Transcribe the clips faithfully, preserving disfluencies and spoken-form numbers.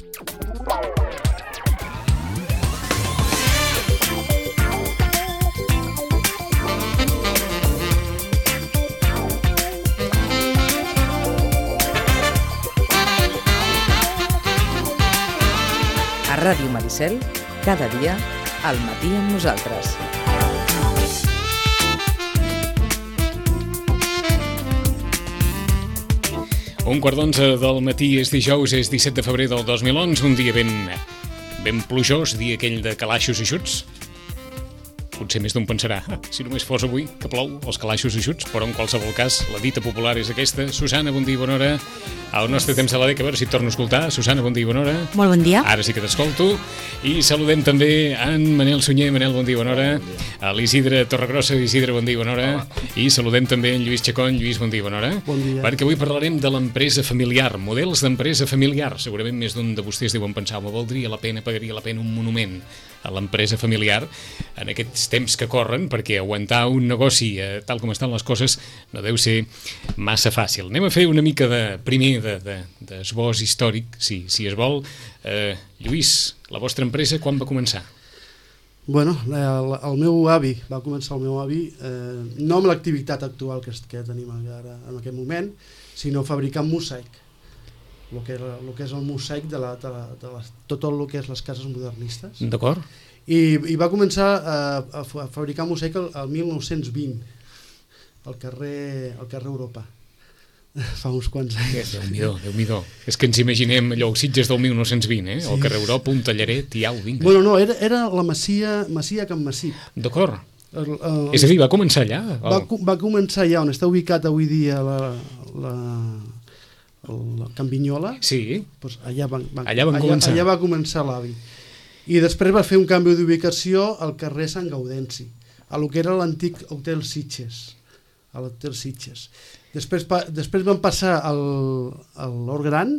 A Ràdio Maricel, cada dia, al matí amb nosaltres. Un quart d'onze del matí, és dijous, és disset de febrer del dos mil onze, un dia ben, ben plujós, dia aquell de calaixos i xuts. Potser més d'un pensarà, si només fos avui, que plou, els calaixos i xuts, però en qualsevol cas, la dita popular és aquesta. Susana, bon dia i bona hora. Al nostre temps de la dècada, a veure si et torno a escoltar. Susana, bon dia i bona hora. Molt bon dia. Ara sí que t'escolto. I saludem també en Manel Sunyer. Manel, bon dia i bona hora. A l'Isidre Torregrossa. Isidre, bon dia i bona hora. I saludem també en Lluís Chacón. Lluís, bon dia i bona hora. Bon dia. Perquè avui parlarem de l'empresa familiar, models d'empresa familiar. Segurament més d'un de vostès deuen pensar, me valdria la pena, pagaria la pena un monument a l'empresa familiar en aquests temps que corren, perquè aguantar un negoci eh, tal com estan les coses no deu ser massa fàcil. Anem a fer una mica de, primer d'esbós de, de històric, si, si es vol. Eh, Lluís, la vostra empresa quan va començar? Bueno, el, el meu avi, va començar el meu avi, eh, no amb l'activitat actual que, que tenim ara en aquest moment, sinó fabricant mosaic. El que, el que és el mosaic de, la, de, la, de la, tot el que és les cases modernistes. D'acord. I, I va començar a, a, a fabricar mosaic el, el mil nou-cents vint, al carrer, al carrer Europa. Fa uns quants anys. Déu-n'hi-do, Déu-n'hi-do. És que ens imaginem allò, els Sitges del mil nou-cents vint, eh? Sí. El carrer Europa, un tallaret, i au, vinga. Bueno, no, era, era la Masia, Masia Can Massip. D'acord. El, el, és a dir, va començar allà? El... Va, va començar allà, on està ubicat avui dia la... la el Can Vinyola, sí. Doncs allà, van, van, allà, van allà, començar. allà va començar l'avi. I després va fer un canvi d'ubicació al carrer Sant Gaudenci, a lo que era l'antic Hotel Sitges, a l'Hotel Sitges. Després, pa, després van passar al, a l'Hort Gran,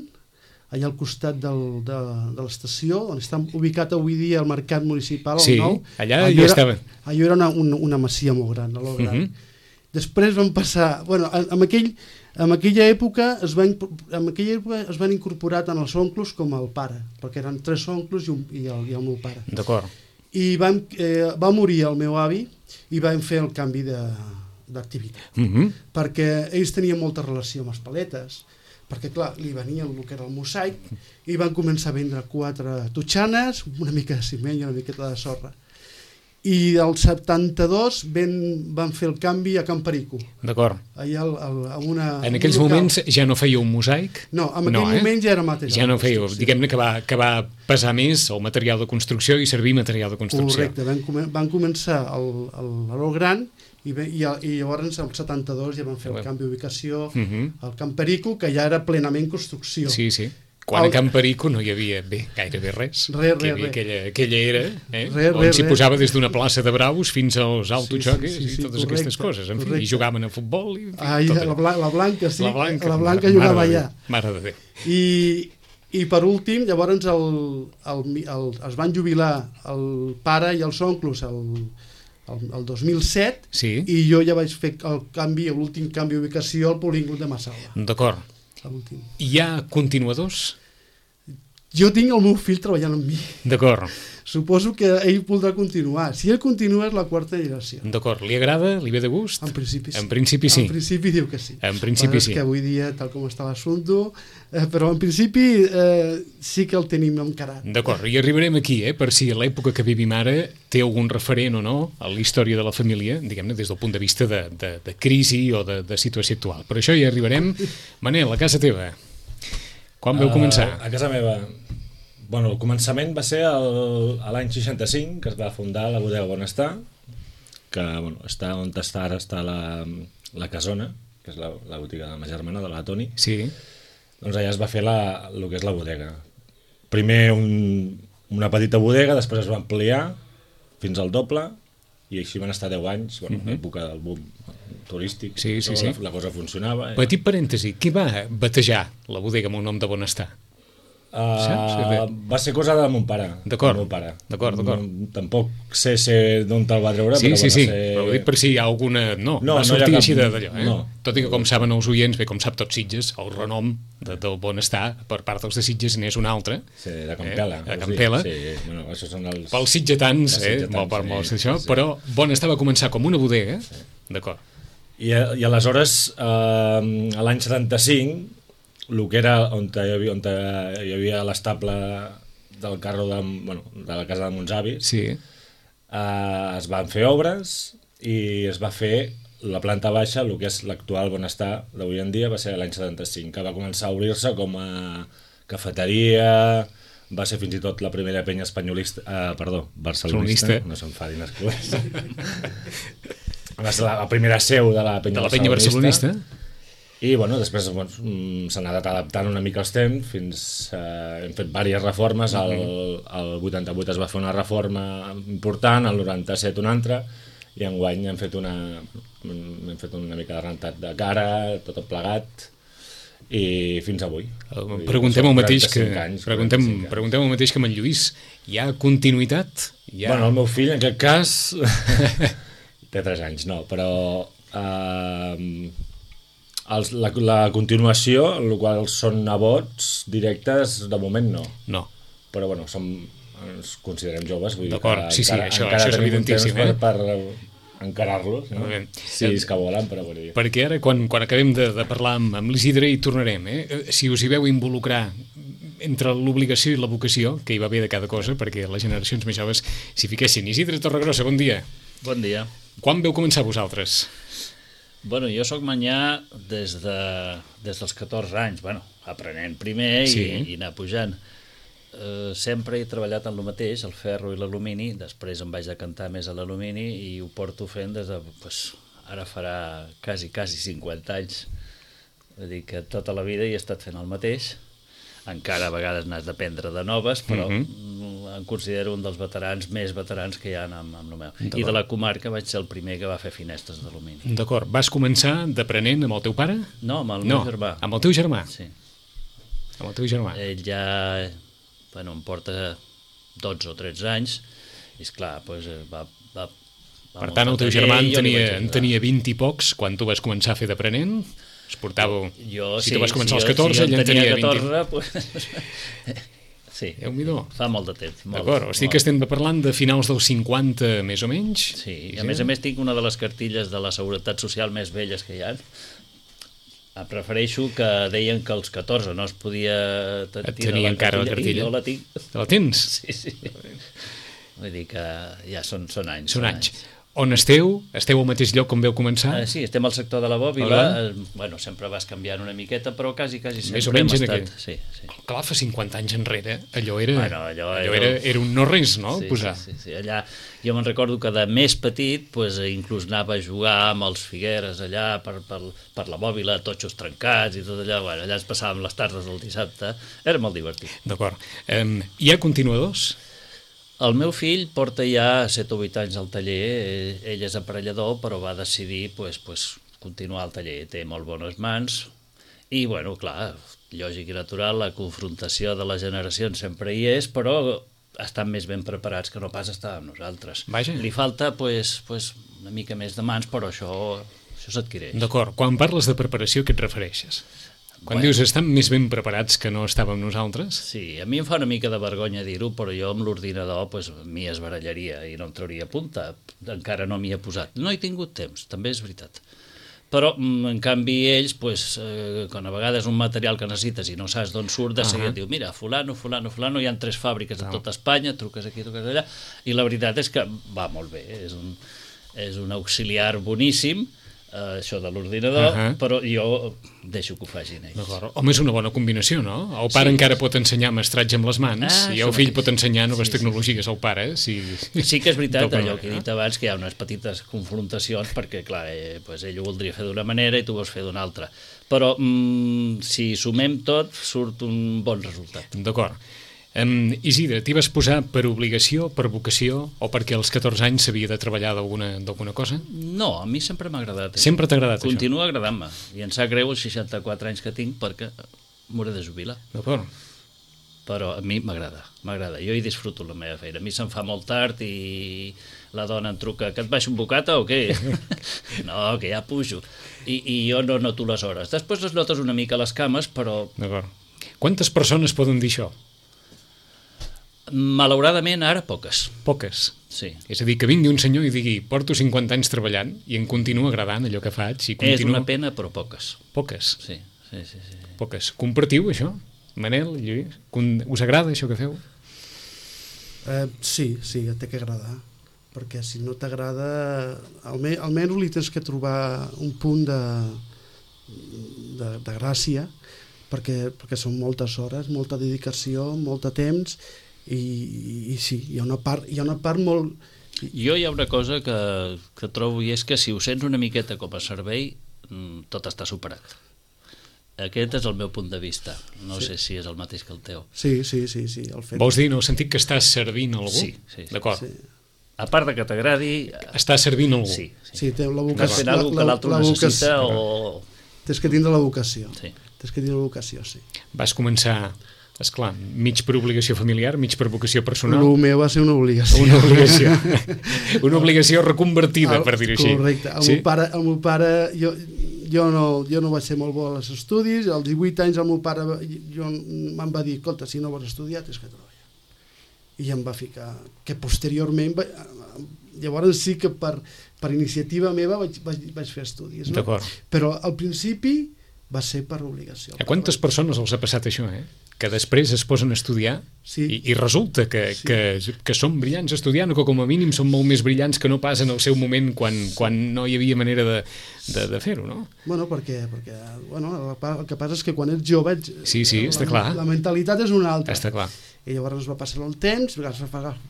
allà al costat del, de, de l'estació, on està ubicat avui dia el mercat municipal, el sí, nou. Allà, allà ja estava. Allò era una, una, una masia molt gran, a l'Hort Gran. Uh -huh. Després van passar... Bueno, en, aquell, en aquella època es van, en aquella època es van incorporar tant els oncles com el pare, perquè eren tres oncles i, un, i, el, i el meu pare. D'acord. I van, eh, va morir el meu avi i vam fer el canvi d'activitat. Uh -huh. Perquè ells tenien molta relació amb les paletes, perquè clar, li venia el que era el mosaic i van començar a vendre quatre totxanes, una mica de ciment i una miqueta de sorra. I al setanta-dos ben, van fer el canvi a Can Perico. D'acord. Allà al, al, a una, en aquells moments ja no fèieu un mosaic? No, en aquell no, eh? moment ja era material. Ja no fèieu, diguem-ne que va, que va pesar més el material de construcció i servir material de construcció. Correcte, van, van començar l'Hort Gran i, i, i llavors al setanta-dos ja van fer el canvi d'ubicació uh -huh. al Can Perico, que ja era plenament construcció. Sí, sí. Quan a Can Perico no hi havia bé, gairebé res. Res, res, res. Aquella, aquella era, eh? Res, on s'hi res, posava des d'una plaça de braus fins als autojocs sí, sí, sí, sí, i totes correcte, aquestes coses. En fi, correcte. i jugaven a futbol. I, ah, i tot la, bla, la Blanca, sí. La Blanca, la Blanca mare, jugava mare allà. Mare de Déu. I, I per últim, llavors el, el, el, es van jubilar el pare i els oncles el, el, el dos mil set sí. I jo ja vaig fer el canvi, l'últim canvi d'ubicació al polígon de Massalva. D'acord. Hi ha continuadors? Jo tinc el meu fill treballant amb mi. D'acord. Suposo que ell voldrà continuar. Si ell continua és la quarta generació. D'acord. Li agrada? Li ve de gust? En principi sí. En principi sí. En principi diu que sí. En principi sí. Que avui dia, tal com està l'assumpte, eh, però en principi eh, sí que el tenim encarat. D'acord. I arribarem aquí, eh, per si l'època que vivim ara té algun referent o no a la història de la família, diguem-ne, des del punt de vista de, de, de crisi o de, de situació actual. Per això hi arribarem. Manel, a casa teva, quan vau començar? Uh, a casa meva... Bueno, el començament va ser el, a l'any seixanta-cinc, que es va fundar la bodega Bonestar, que bueno, està on està ara està la, la Casona, que és la, la botiga de ma germana, de la Toni. Sí. Doncs allà es va fer la, el que és la bodega. Primer un, una petita bodega, després es va ampliar fins al doble, i així van estar deu anys, bueno, uh-huh. l'època del boom turístic, sí, sí, sí. La, la cosa funcionava. Petit parèntesi, qui va batejar la bodega amb el nom de Bonestar? Uh, Saps? va ser cosa de mon pare. D'acord, del meu pare. d'acord, d'acord. No, tampoc sé, sé d'on te'l va treure, Sí, però sí, bueno, sí, sé... però ho dic per si hi ha alguna... No, No, va no hi ha sortir cap- així de- d'allò, eh? no. Tot i que, com saben els oients, bé, com sap tot Sitges, el renom de, del Bonestar per part dels de Sitges n'és un altre. Sí, de Campela. Eh? De vols dir? Campela. Sí, bueno, això són els... Pels sitgetans, Els eh? sitgetans, Molt per sí, molts d'això, sí. però Bonestar va començar com una bodega, d'acord. I, I aleshores, eh, a l'any setanta-cinc, el que era on hi havia, on hi havia l'estable del carro de, bueno, de la casa de mons avis, Sí, eh, es van fer obres i es va fer la planta baixa, el que és l'actual Bonestar d'avui en dia, va ser l'any setanta-cinc, que va començar a obrir-se com a cafeteria, va ser fins i tot la primera penya espanyolista, eh, perdó, barcelonista, Barcelonista. no se'n fadin els clubs. Va ser la, la primera seu de la penya, de la penya barcelonista. I bueno, després bueno, s'ha anat adaptant una mica als temps, fins eh, hem fet diverses reformes, el, el vuitanta-vuit es va fer una reforma important, el noranta-set una altra, i enguany hem fet una, hem fet una mica de rentat de cara, tot plegat, i fins avui. Eh, Preguntem el mateix que anys, preguntem, quaranta-cinc anys. preguntem el mateix que amb en Lluís. Hi ha continuïtat? Hi ha... Bueno, el meu fill, en aquest cas, té tres anys, no, però... Eh, els, la, la continuació, el qual són nebots directes, de moment no. No. Però bueno, som, ens considerem joves, vull dir D'acord, que sí, sí, encara, això- encara això és tenim un evidentíssim, temps eh? per, per encarar-los, no? Molt bé. Si és que volen, però vull dir. Perquè ara, quan, quan acabem de, de parlar amb, amb l'Isidre, hi tornarem. Eh? Si us hi veu involucrar entre l'obligació i la vocació, que hi va haver de cada cosa, perquè les generacions més joves s'hi fiquessin. Isidre Torregrossa, bon dia. Bon dia. Quan veu començar vosaltres? Bueno, jo sóc manyà des, de, des dels catorze anys, bueno, aprenent primer i, Sí. i anar pujant. Eh, sempre he treballat en el mateix, el ferro i l'alumini, després em vaig decantar més a l'alumini i ho porto fent des de, pues, ara farà quasi, quasi cinquanta anys. Vull dir que tota la vida hi he estat fent el mateix. Encara a vegades n'has d'aprendre de noves, però Mhm. mm, em considero un dels veterans més veterans que hi ha amb, amb el meu. I de la comarca vaig ser el primer que va fer finestres d'alumini. D'acord. Vas començar d'aprenent amb el teu pare? No, amb el No, meu germà. amb el teu germà. Sí. Amb el teu germà. Ell ja, bueno, em porta dotze o tretze anys i esclar, doncs, va, va, va Per tant, el teu taller germà i en jo li tenia, vaig en ajudar. tenia vint i pocs quan tu vas començar a fer d'aprenent? Es portava... Jo, si sí, tu vas començar si als jo- catorze, si ell jo en tenia vint. catorze, pues... sí, Déu-n'hi-do. fa molt de temps. molt, D'acord, o sigui molt. que estem parlant de finals dels cinquanta, més o menys? Sí, i a més a més tinc una de les cartilles de la Seguretat Social més velles que hi ha. Em prefereixo que deien que als catorze no es podia t- Et tirar tenia encara la i cartilla? jo la tinc. Te la tens? Sí, sí. Vull dir que ja són, són anys. Són anys. On esteu? Esteu al mateix lloc com veu començar? Ah, sí, estem al sector de la bòbila. Hola. Eh, bueno, sempre vas canviant una miqueta, però quasi, quasi sempre Més o menys hem en estat. aquell. Sí, sí. Clar, fa cinquanta anys enrere, allò era, Bueno, allò allò era- era, era un no-res, no? Sí, Posar. sí, sí, sí. Allà, jo me'n recordo que de més petit pues, inclús anava a jugar amb els Figueres allà per, per, per la bòbila, totxos trencats i tot allà. Bueno, allà ens passàvem les tardes del dissabte. Era molt divertit. D'acord. Um, hi ha continuadors? El meu fill porta ja set o vuit anys al taller, eh, ell és aparellador, però va decidir pues, pues, continuar al taller, té molt bones mans, i, bueno, clar, lògic i natural, la confrontació de les generacions sempre hi és, però estan més ben preparats que no pas estàvem nosaltres. Vaja. Li falta pues, pues, una mica més de mans, però això, això s'adquireix. D'acord. Quan parles de preparació, què et refereixes? Quan Bueno. dius estan més ben preparats que no estàvem nosaltres? Sí, a mi em fa una mica de vergonya dir-ho, però jo amb l'ordinador pues, m'hi esbarallaria i no em trauria punta. Encara no m'hi he posat. No he tingut temps, també és veritat. Però, mm, en canvi, ells, pues, eh, quan a vegades un material que necessites i no saps d'on surt, de seguida Ahà. et diu, mira, fulano, fulano, fulano, hi ha tres fàbriques a tota Espanya, truques aquí, truques allà, i la veritat és que va molt bé, és un, és un auxiliar boníssim, eh, això de l'ordinador, Ahà. però jo deixo que ho facin ells. D'acord. Home, és una bona combinació, no? El pare Sí. encara pot ensenyar mestratge amb les mans Ah, i això el fill mateix. pot ensenyar noves Sí, sí. tecnologies al pare. Si... Sí que és veritat, D'alguna allò que he manera, dit abans, que hi ha unes petites confrontacions, perquè, clar, eh, pues ell ho voldria fer d'una manera i tu vols fer d'una altra. Però mm, si sumem tot, surt un bon resultat. D'acord. Um, Isidre, t'hi vas posar per obligació, per vocació o perquè als catorze anys s'havia de treballar d'alguna d'alguna cosa? No, a mi sempre m'ha agradat. això. Sempre t'ha agradat Continua agradant-me. I em sap greu els seixanta-quatre anys que tinc perquè m'hauré de jubilar. això? D'acord. però a mi m'agrada, m'agrada. Jo hi disfruto la meva feina. A mi se'm fa molt tard i la dona em truca, que et baixo un bocata o què? No, que ja pujo. I, I jo no noto les hores. Després les notes una mica les cames, però... D'acord. Quantes persones poden dir això? Malauradament, ara poques. Poques. Sí. És a dir, que vingui un senyor i digui porto cinquanta anys treballant i em continua agradant allò que faig. I continua... És una pena, però poques. Poques. Sí, sí, sí. sí. Poques. Compartiu, això? Manel, Lluís? Us agrada això que feu? Eh, sí, sí, et té que agradar. Perquè si no t'agrada, alme almenys li tens que trobar un punt de, de, de gràcia, perquè, perquè són moltes hores, molta dedicació, molt de temps, i, i, i sí, hi ha una part, hi ha una part molt... Jo hi ha una cosa que, que trobo, i és que si ho sents una miqueta com a servei, tot està superat. Aquest és el meu punt de vista. No sí. sé si és el mateix que el teu. Sí, sí, sí, sí. El fet... Vols dir, en el sentit que estàs servint algú? Sí, sí. D'acord. Sí. A part de que t'agradi... Estàs servint algú? Sí, sí. Sí, té la Estàs vocació. fent alguna cosa que l'altre la necessita vocació. o... Tens que tindre la vocació. Sí. Tens que tindre la vocació, sí. Vas començar, esclar, mig per obligació familiar, mig per vocació personal. El meu va ser una obligació. Una obligació. Una obligació reconvertida, El, per dir-ho així. Correcte. El, sí? meu pare, el meu pare... Jo, jo, no, jo no vaig ser molt bo als estudis. Als divuit anys el meu pare jo, me'n va dir, escolta, si no vols estudiar, tens que treballar. I em va ficar... Que posteriorment... Va, llavors sí que per, per iniciativa meva vaig, vaig, vaig fer estudis. No? D'acord. Però al principi va ser per obligació. A quantes persones els ha passat això, eh? Que després es posen a estudiar sí. i, i resulta que, sí. que, que són brillants estudiant o que com a mínim són molt més brillants que no pas en el seu moment quan, sí. quan no hi havia manera de, de, de fer-ho, no? Bueno, perquè, perquè bueno, el que passa és que quan ets jove ets, sí, sí, la, està clar. La mentalitat és una altra. Està clar. I llavors va passar el temps, vas,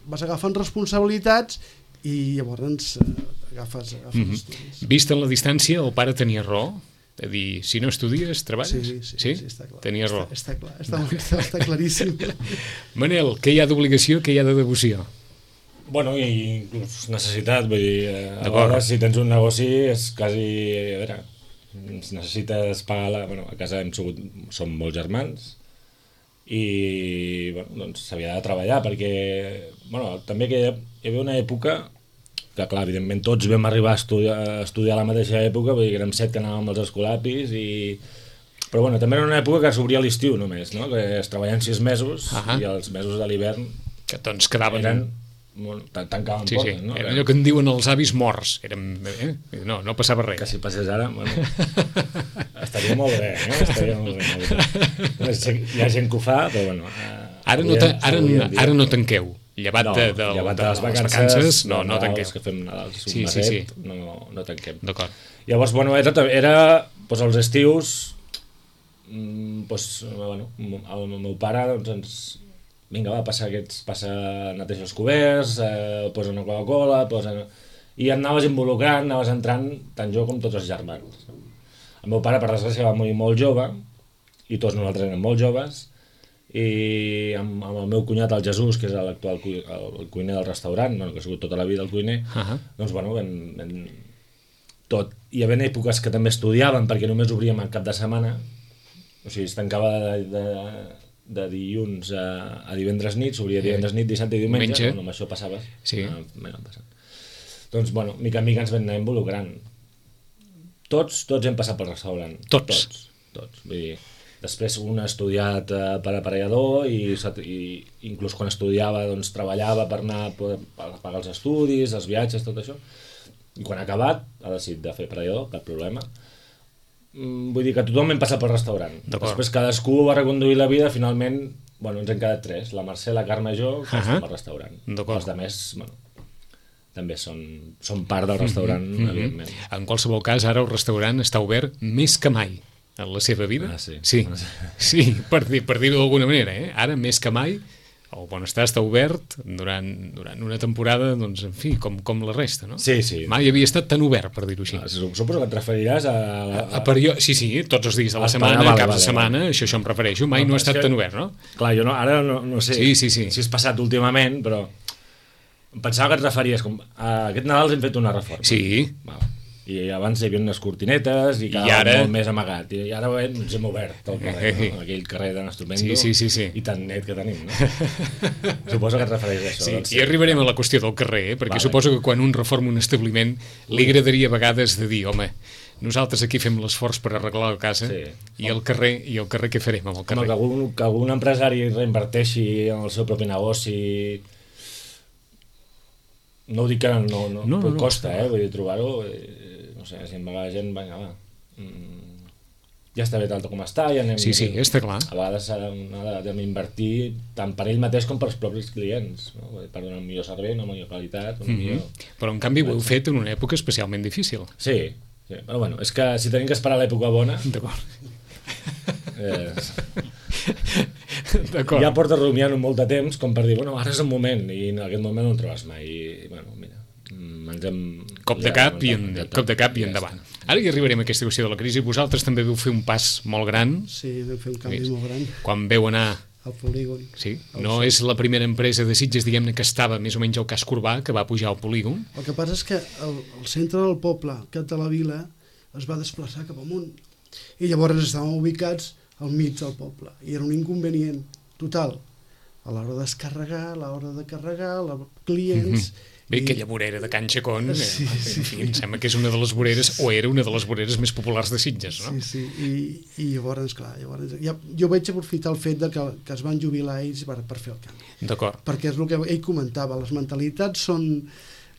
vas agafant responsabilitats i llavors eh, agafes, agafes mm-hmm. estudis. Vist en la distància, el pare tenia raó? És a dir, si no estudies, treballes? Sí, sí, sí? sí està clar. Tenia raó. Està, està clar, està, està, està claríssim. Manel, què hi ha d'obligació, què hi ha de devoció? Bueno, i inclús necessitat, vull dir, a vegades si tens un negoci és quasi, a veure, necessites pagar la... Bueno, a casa hem sigut, som molts germans i, bueno, doncs s'havia de treballar perquè, bueno, també que hi havia una època que, clar, evidentment tots vam arribar a estudiar, a estudiar a la mateixa època, vull dir que érem set que anàvem als escolapis i... Però bueno, també era una època que s'obria l'estiu només, no? Que es treballaven sis mesos uh-huh. i els mesos de l'hivern que doncs quedaven... eren... Bueno, tancaven sí, portes, sí. no? Era allò que en diuen els avis morts. Érem, eh? No, no passava res. Que si passés ara, bueno, estaria molt bé, no? Estaria molt bé. Hi ha gent que ho fa, però bueno... Ara no, ta, ara, ara no tanqueu. Llevat no, de, de, llevat de, de les vacances, vacances no, no, no tanquem. tanqueu. Que fem Nadals, sí, sí, sí. no, no tanquem. D'acord. Llavors, bueno, era, era doncs, els estius, doncs, bueno, el meu pare doncs, ens... Vinga, va, passa aquests, passa, neteja els coberts, eh, posa una Coca-Cola, posa... I et anaves involucrant, anaves entrant, tant jo com tots els germans. El meu pare, per desgràcia, va morir molt jove, i tots nosaltres érem molt joves, i amb, amb el meu cunyat, el Jesús, que és l'actual cu el cuiner del restaurant, bueno, que ha sigut tota la vida el cuiner, uh -huh. doncs, bueno, vam, vam, tot. Hi havia èpoques que també estudiàvem, perquè només obríem el cap de setmana, o sigui, es tancava de... de de dilluns a, a divendres nit, s'obria divendres nit, dissabte i diumenge, Menja. bueno, amb això passava. Sí. Ah, passat. Doncs, bueno, mica en mica ens vam anar involucrant. Tots, tots hem passat pel restaurant. Tots? Tots, tots. Vull dir, després un ha estudiat eh, per aparellador i, i inclús quan estudiava doncs, treballava per anar per pagar els estudis, els viatges, tot això. I quan ha acabat ha decidit de fer aparellador, cap problema. Vull dir que tothom hem passat pel restaurant. Després cadascú va reconduir la vida, finalment, bueno, ens hem quedat tres, la Mercè, la Carme i jo, que uh -huh. estem al restaurant. Els altres, bueno, també són, són part del restaurant, mm -hmm. evidentment. En qualsevol cas, ara el restaurant està obert més que mai en la seva vida. Ah, sí. Sí, sí per dir, per dir-ho d'alguna manera, eh? Ara més que mai el Bonestar està obert durant, durant una temporada, doncs, en fi, com, com la resta, no? Sí, sí. Mai havia estat tan obert, per dir-ho així. Ah, suposo que et referiràs a... a, a perio... Sí, sí, tots els dies de la setmana, vale, caps vale, de setmana, vale. això, això em refereixo, mai no, no ha estat que... tan obert, no? Clar, jo no, ara no, no sé sí, sí, sí. si és passat últimament, però em pensava que et referies com... A aquest Nadal hem fet una reforma. Sí. Val. I abans hi havia unes cortinetes i quedava ara... molt més amagat. I ara ens hem obert el carrer, no? Aquell carrer tan estupendo sí, sí, sí, sí. i tan net que tenim, no? Suposo que et refereix a això. Sí, doncs, i arribarem a la qüestió del carrer, eh? perquè vale. Suposo que quan un reforma un establiment li agradaria a vegades de dir, home, nosaltres aquí fem l'esforç per arreglar la casa sí. i el carrer i el carrer què farem amb el carrer? Home, que algun, que algun empresari reinverteixi en el seu propi negoci, no ho dic que no, no, no, no costa, no. eh? Vull dir, trobar-ho, eh, no sé, si em va la gent, vinga, va, mm, ja està bé tal com està, ja anem... Sí, sí, està clar. A vegades s'ha d'invertir tant per ell mateix com per els propis clients, no? Per donar un millor servei, una millor qualitat, un mm-hmm. millor... Però en canvi ho heu fet en una època especialment difícil. Sí, sí, però bueno, és que si tenim que esperar l'època bona... D'acord. Eh, D'acord. Ja portes rumiant molt de temps com per dir, bueno, ara és el moment, i en aquest moment no el trobes mai, i bueno, mira, ens hem... Cop de cap, ja, i, en, cop de cap i endavant. Ara hi arribarem a aquesta qüestió de la crisi. Vosaltres també veu fer un pas molt gran. Sí, vam fer un canvi sí. molt gran. Quan veu anar... Al polígon. Sí, no és la primera empresa de Sitges, diguem-ne, que estava més o menys al casc urbà, que va pujar al polígon. El que passa és que el, el centre del poble, cap de la vila, es va desplaçar cap amunt. I llavors estàvem ubicats al mig del poble. I era un inconvenient total. A l'hora de descarregar, a l'hora de carregar, a clients... Mm-hmm. Bé, I... aquella vorera de Can Chacón, sí, eh, sí. en fi, em sembla que és una de les voreres, o era una de les voreres més populars de Sitges, no? Sí, sí, i, i llavors, clar, llavors, ja, jo vaig aprofitar el fet de que, que es van jubilar ells per, per fer el canvi. D'acord. Perquè és el que ell comentava, les mentalitats són...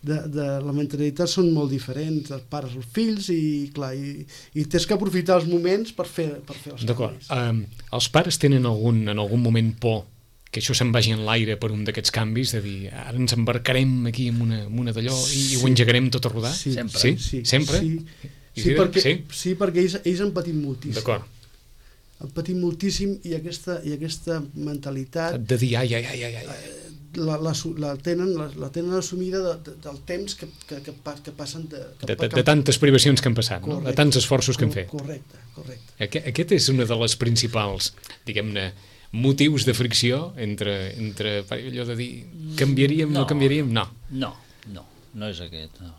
De, de, la mentalitat són molt diferents, els pares, els fills, i clar, i, i tens que aprofitar els moments per fer, per fer els D'acord. canvis. Um, els pares tenen algun, en algun moment por que això se'n vagi en l'aire per un d'aquests canvis, de dir, ara ens embarcarem aquí en una, en una d'allò i, sí. i ho engegarem tot a rodar? Sí. Sempre. Sí? Sí. Sempre? Sí, sí, perquè, sí? sí, perquè ells, ells han patit moltíssim. D'acord. Han patit moltíssim i aquesta, i aquesta mentalitat... De dir, ai, ai, ai, ai, ai. La, la, la, tenen, la, la tenen assumida de, de, del temps que, que, que, que passen... De, que, de, de, de tantes privacions que han passat, correcte, no? De tants esforços que han fet. Correcte, correcte. Aquest, aquest és una de les principals, diguem-ne, motius de fricció entre, entre allò de dir canviaríem, no, no canviaríem, no. No, no, no és aquest, no.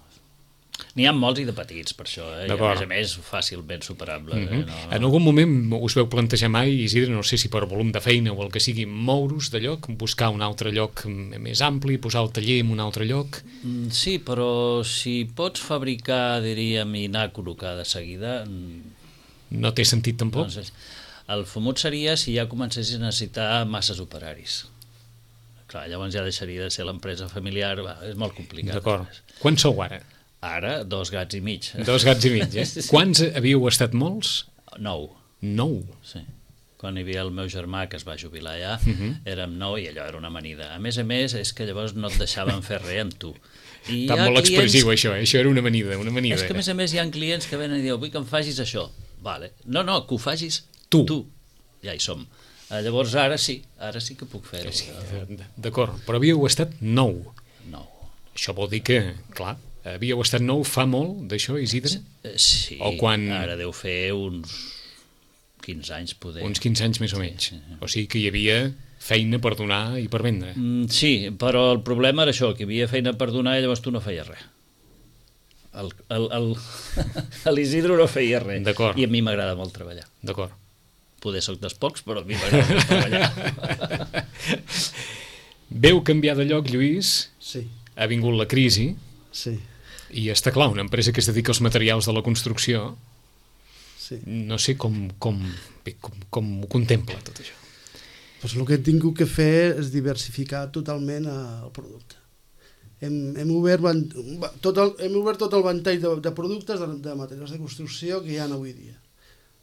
N'hi ha molts i de petits, per això, eh? I a més a més fàcilment superable. Mm-hmm. eh? no, no. En algun moment us veu plantejar mai, Isidre, no sé si per volum de feina o el que sigui, mouros de lloc, buscar un altre lloc més ampli, posar el taller en un altre lloc? Mm, sí, però si pots fabricar, diríem, i anar a col·locar de seguida... No té sentit tampoc? Doncs, el fumut seria si ja comencessis a necessitar masses operaris. Clar, llavors ja deixaria de ser l'empresa familiar, va, és molt complicat. D'acord. Quants sou ara? Ara, dos gats i mig. Dos gats i mig, eh? Sí. Quants havíeu estat molts? Nou. Nou? Sí. Quan hi havia el meu germà, que es va jubilar ja, uh-huh. érem nou i allò era una amanida. A més a més, és que llavors no et deixaven fer res amb tu. I Està molt clients... expressiu, això, eh? Això era una amanida, una amanida. És que a més a més hi ha clients que venen i diuen, vull que em facis això. Vale. No, no, que ho facis tu. tu. Ja hi som. Llavors ara sí, ara sí que puc fer-ho. Sí, d'acord, però havíeu estat nou. Nou. Això vol dir que, clar, havíeu estat nou fa molt d'això, Isidre? Sí, o quan... ara deu fer uns quinze anys, poder. Uns quinze anys més o menys. Sí, sí. O sigui que hi havia feina per donar i per vendre. Mm, sí, però el problema era això, que hi havia feina per donar i llavors tu no feies res. L'Isidro no feia res. D'acord. I a mi m'agrada molt treballar. D'acord. Poder soc dels pocs, però a mi m'agrada molt treballar. Veu canviar de lloc, Lluís? Sí. Ha vingut la crisi. Sí. I està clar, una empresa que es dedica als materials de la construcció, sí. no sé com, com, com, com ho contempla tot això. Pues el que he tingut que fer és diversificar totalment el producte. Hem, hem, obert, tot el, hem obert tot el ventall de, de productes, de, de materials de construcció que hi ha avui dia.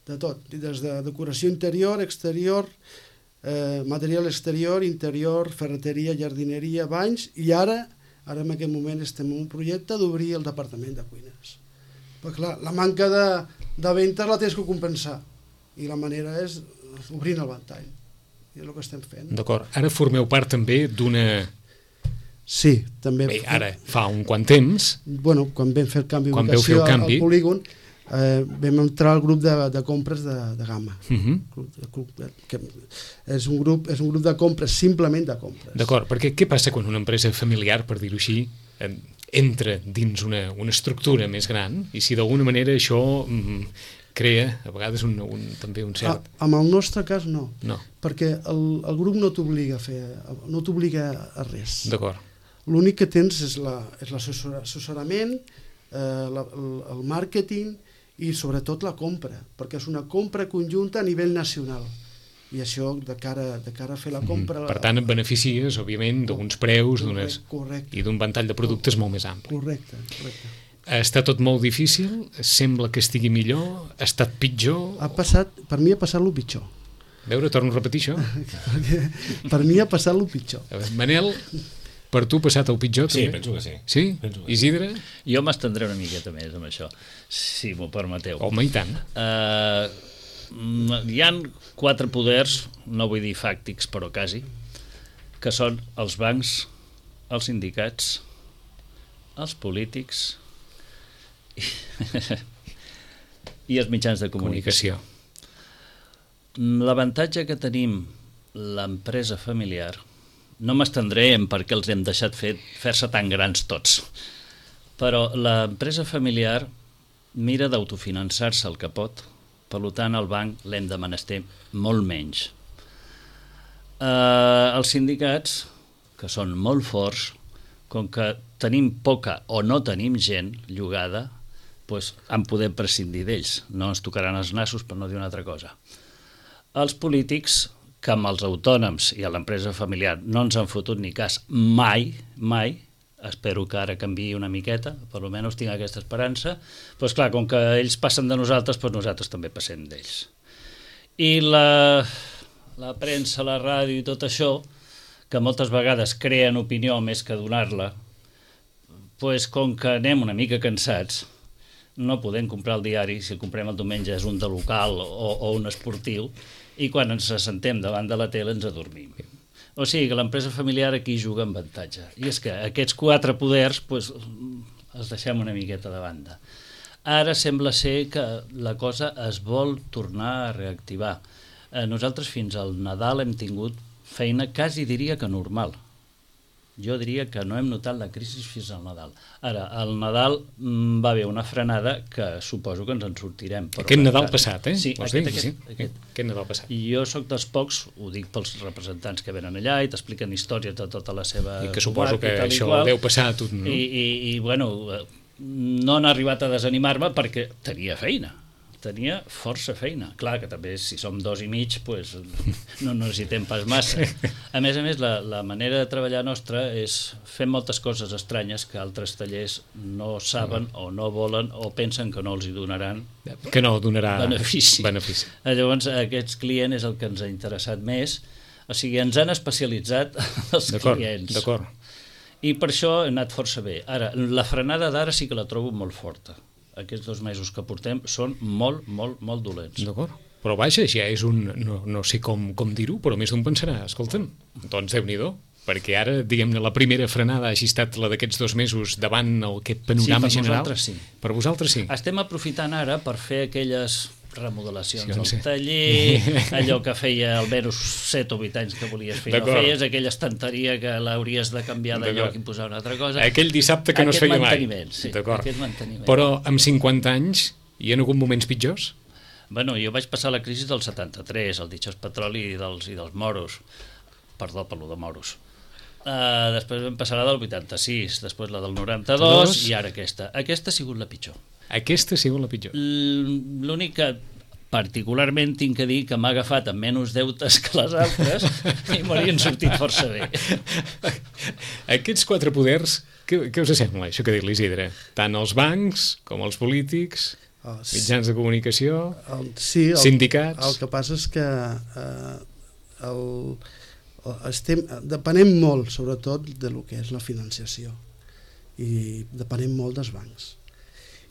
De tot, des de decoració interior, exterior, eh, material exterior, interior, ferreteria, jardineria, banys, i ara, ara en aquest moment estem en un projecte d'obrir el departament de cuines. Però clar, la manca de, de ventes la tens que compensar, i la manera és obrint el ventall, i és el que estem fent. D'acord, ara formeu part també d'una... Sí, també... Bé, ara fa un quant temps... Bueno, quan vam fer el canvi d'ubicació al, al polígon, eh, vam entrar al grup de, de compres de, de gamma. Uh-huh. Club, club, que és, un grup, és un grup de compres, simplement de compres. D'acord, perquè què passa quan una empresa familiar, per dir-ho així, eh, entra dins una, una estructura més gran i si d'alguna manera això mm, crea a vegades un, un, també un cert... A, amb el nostre cas no, no. perquè el, el grup no t'obliga a fer, no t'obliga a res. D'acord. L'únic que tens és l'assessorament, eh, la, el, el màrqueting i sobretot la compra, perquè és una compra conjunta a nivell nacional. I això, de cara, de cara a fer la compra... Mm. Per tant, et beneficies, òbviament, d'uns preus correcte, correcte. i d'un ventall de productes molt més ampli. Correcte, correcte. Està tot molt difícil? Sembla que estigui millor? Ha estat pitjor? Ha passat, per mi ha passat el pitjor. A veure, torno a repetir això. Per mi ha passat el pitjor. A veure, Manel, per tu ha passat el pitjor? Sí, també? penso que sí. Sí? Penso que Isidre? Jo m'estendré una miqueta més amb això, si m'ho permeteu. Home, i tant. Uh, hi han quatre poders, no vull dir fàctics, però quasi, que són els bancs, els sindicats, els polítics i els mitjans de comunicació. comunicació. L'avantatge que tenim l'empresa familiar, no m'estendré en per què els hem deixat fer, fer-se tan grans tots, però l'empresa familiar mira d'autofinançar-se el que pot, per tant el banc l'hem de menester molt menys. Eh, els sindicats, que són molt forts, com que tenim poca o no tenim gent llogada, doncs en podem prescindir d'ells, no ens tocaran els nassos per no dir una altra cosa. Els polítics, que amb els autònoms i a l'empresa familiar no ens han fotut ni cas mai, mai, espero que ara canviï una miqueta, per almenys tinc aquesta esperança, doncs clar, com que ells passen de nosaltres, doncs nosaltres també passem d'ells. I la, la premsa, la ràdio i tot això, que moltes vegades creen opinió més que donar-la, doncs com que anem una mica cansats, no podem comprar el diari, si el comprem el diumenge és un de local o, o un esportiu, i quan ens assentem davant de la tele ens adormim. O sigui que l'empresa familiar aquí juga en avantatge. I és que aquests quatre poders doncs, els deixem una miqueta de banda. Ara sembla ser que la cosa es vol tornar a reactivar. Eh, nosaltres fins al Nadal hem tingut feina quasi diria que normal. Jo diria que no hem notat la crisi fins al Nadal. Ara, al Nadal mm, va haver una frenada que suposo que ens en sortirem. Però aquest Nadal encara... passat, eh? Sí, Vols aquest, dir? aquest, Sí. aquest. Aquest Nadal passat. I jo sóc dels pocs, ho dic pels representants que venen allà i t'expliquen històries de tota la seva... I que suposo que això qual, deu passar a tot, no? I, i, i bueno, no han arribat a desanimar-me perquè tenia feina. Tenia força feina. Clar que també si som dos i mig pues, no necessitem pas massa. A més a més, la, la manera de treballar nostra és fer moltes coses estranyes que altres tallers no saben o no volen o pensen que no els hi donaran que no donarà benefici. benefici. Llavors, aquest client és el que ens ha interessat més. O sigui, ens han especialitzat els clients. D'acord. I per això he anat força bé. Ara, la frenada d'ara sí que la trobo molt forta. Aquests dos mesos que portem són molt, molt, molt dolents. D'acord. Però vaja, ja és un... No, no sé com, com dir-ho, però més d'un pensarà, escolta'm, doncs Déu-n'hi-do, perquè ara, diguem-ne, la primera frenada hagi estat la d'aquests dos mesos davant el, aquest panorama sí, per general. Vosaltres sí. Per vosaltres sí. Estem aprofitant ara per fer aquelles remodelacions sí, al sí. taller, allò que feia almenys set o vuit anys que volies fer, no feies, aquella estanteria que l'hauries de canviar de lloc i posar una altra cosa. Aquell dissabte que no es feia mai. Sí, aquest manteniment. Però amb cinquanta anys hi ha hagut moments pitjors? Bueno, jo vaig passar la crisi del setanta-tres, el ditxós petroli i dels, i dels moros. Perdó per lo de moros. Uh, després vam passar la del vuitanta-sis, després la del noranta-dos Dos. I ara aquesta. Aquesta ha sigut la pitjor. Aquesta ha sigut la pitjor. L'únic que particularment tinc que dir que m'ha agafat amb menys deutes que les altres i m'haurien sortit força bé. Aquests quatre poders, què, què us sembla, això que ha dit l'Isidre? Tant els bancs com els polítics, oh, sí. mitjans de comunicació, el, sí, el, sindicats... El que passa és que eh, el, el, estem, depenem molt, sobretot, de lo que és la financiació. I depenem molt dels bancs.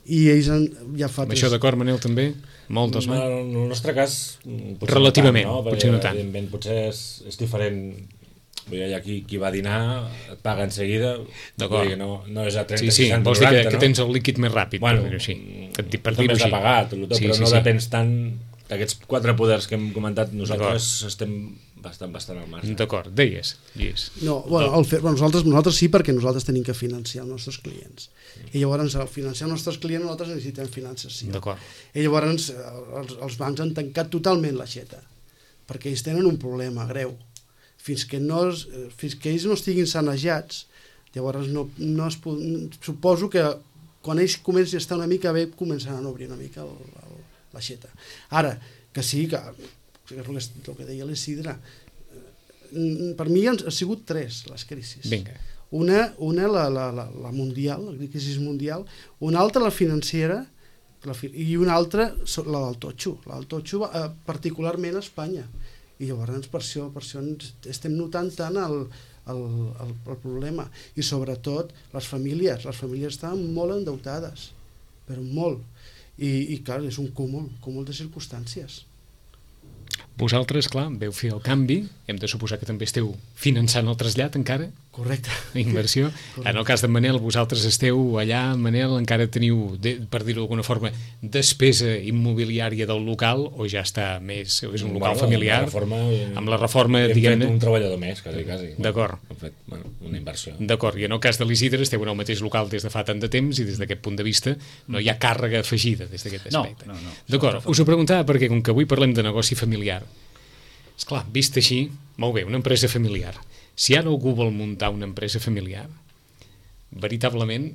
I ells han, ja fa... Amb això d'acord, Manel, també? Molt dels bancs? En el nostre cas, relativament, no tant, no? potser no tant. Evidentment, potser és, és diferent. Vull dir, aquí qui va dinar et paga en seguida. D'acord. No, no és a trenta, sí, sí, seixanta, vols noranta, dir que, no? que tens el líquid més ràpid, bueno, per dir-ho així. Que et, per també dir-ho has de així. pagar, tot, tot, sí, però sí, no sí. depens tant d'aquests quatre poders que hem comentat. Nosaltres estem bastant, bastant al marge. D'acord, deies, Lluís. No, bueno, el fer, bueno, nosaltres, nosaltres sí, perquè nosaltres tenim que financiar els nostres clients. I llavors, al financiar els nostres clients, nosaltres necessitem finançació. D'acord. I llavors, els, els bancs han tancat totalment l'aixeta, perquè ells tenen un problema greu. Fins que, no es, fins que ells no estiguin sanejats, llavors no, no es, suposo que quan ells comencin a estar una mica bé, començaran a obrir una mica el, el, l'aixeta. Ara, que sí, que, que és el que, el que deia l'Isidre, per mi han, han sigut tres les crisis. Vinga. Una, una la, la, la, la mundial, la crisi mundial, una altra la financera la, i una altra la del totxo, la del totxo eh, particularment a Espanya. I llavors per això, per això estem notant tant el, el, el, el problema. I sobretot les famílies, les famílies estan molt endeutades, però molt. I, i clar, és un cúmul, cúmul de circumstàncies. Vosaltres, clar, veu fer el canvi, hem de suposar que també esteu finançant el trasllat encara? Correcte. Inversió. Correcte. En el cas de Manel, vosaltres esteu allà, Manel, encara teniu, de, per dir-ho d'alguna forma, despesa immobiliària del local o ja està més, és un local bueno, familiar? Amb la reforma, amb la reforma hem diguem-ne... fet un treballador més, quasi, quasi. D'acord. Hem fet bueno, una inversió. D'acord, i en el cas de l'Isidre esteu en el mateix local des de fa tant de temps i des d'aquest punt de vista no hi ha càrrega afegida des d'aquest aspecte. No, no, no. D'acord, us ho preguntava perquè com que avui parlem de negoci familiar, esclar, vist així, molt bé, una empresa familiar. Si ara algú vol muntar una empresa familiar, veritablement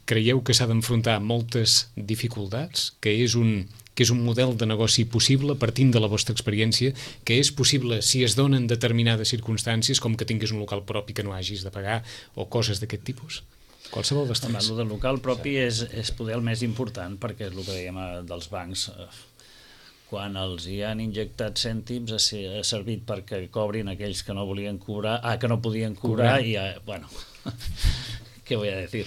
creieu que s'ha d'enfrontar moltes dificultats, que és un, que és un model de negoci possible partint de la vostra experiència, que és possible si es donen determinades circumstàncies, com que tinguis un local propi que no hagis de pagar o coses d'aquest tipus? Qualsevol dels tres. El del local propi és, és poder el més important, perquè és el que dèiem dels bancs. Quan els hi han injectat cèntims ha servit perquè cobrin aquells que no volien cobrar, ah, que no podien cobrar, cobrar. i, eh, bueno, què vull a dir?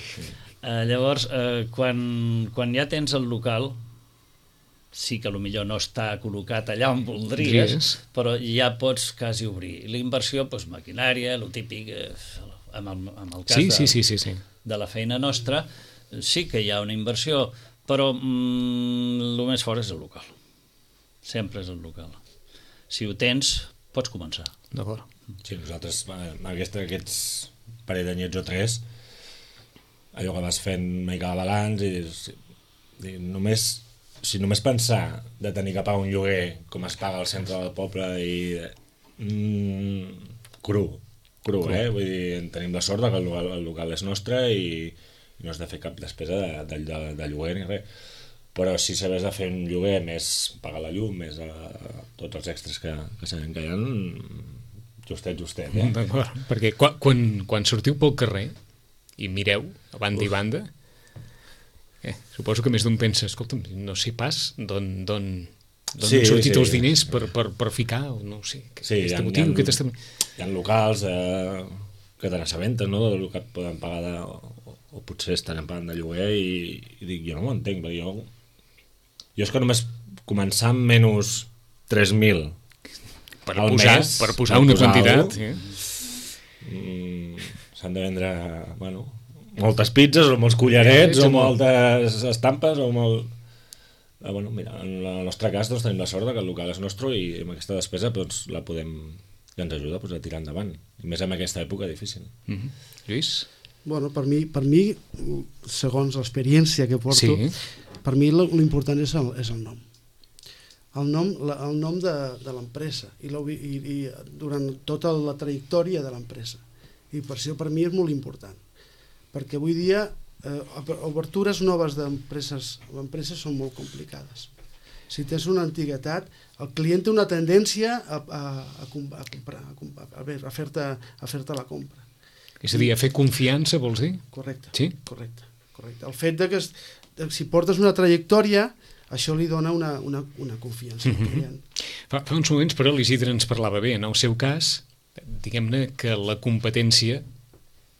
Eh, llavors, eh, quan, quan ja tens el local, sí que potser no està col·locat allà on voldries, yes. però ja pots quasi obrir. La inversió, doncs, maquinària, el típic, eh, amb, el, amb el cas sí, de, sí, sí, sí, sí. de la feina nostra, sí que hi ha una inversió, però mm, el més fort és el local. Sempre és el local. Si ho tens, pots començar. D'acord. Sí, nosaltres, aquest, aquests parell d'anyets o tres, allò que vas fent una mica de balanç, i, i només, si només pensar de tenir que pagar un lloguer com es paga al centre del poble i mm, cru, cru, cru, eh? Vull dir, tenim la sort que el local, el local és nostre i, i no has de fer cap despesa de, de, de, de lloguer ni res. Però si sabés de fer un lloguer, més pagar la llum, més a, a tots els extras que, que sabem que hi ha, justet, justet. Eh? D'acord, perquè quan, quan, quan sortiu pel carrer i mireu a banda Uf. i banda, eh, suposo que més d'un pensa, escolta'm, no sé pas d'on sí, han sortit sí. els diners per, per, per ficar, no ho sé, sí, aquest hi ha, motiu, hi ha, aquest estem... hi ha locals eh, que te n'assabenten, no?, del que poden pagar de, o, o potser estaran pagant de lloguer i, i dic, jo no m'ho entenc, perquè jo Jo és que només començar amb menys tres mil per al posar, mes, per posar per una posar quantitat, sí. mm, s'han de vendre, bueno, moltes pizzas o molts collarets sí, o moltes estampes o molt... Eh, bueno, mira, en el nostre cas doncs, tenim la sort que el local és nostre i amb aquesta despesa doncs, la podem, ja ens ajuda doncs, a tirar endavant, i més en aquesta època difícil. Mm-hmm. Lluís? Bueno, per mi, per mi segons l'experiència que porto, sí. per mi l'important és el, és el nom. El nom, la, el nom de, de l'empresa i, i, i durant tota la trajectòria de l'empresa. I per això per mi és molt important. Perquè avui dia eh, obertures noves d'empreses empreses són molt complicades. Si tens una antiguitat, el client té una tendència a, a, a, a comprar, a, comprar, a, a fer-te a fer-te la compra. És a dir, a fer confiança, vols dir? Correcte. Sí? Correcte, correcte. El fet de que si portes una trajectòria, això li dona una, una, una confiança al client. Fa, fa uns moments, però, l'Isidre ens parlava bé. En el seu cas, diguem-ne que la competència,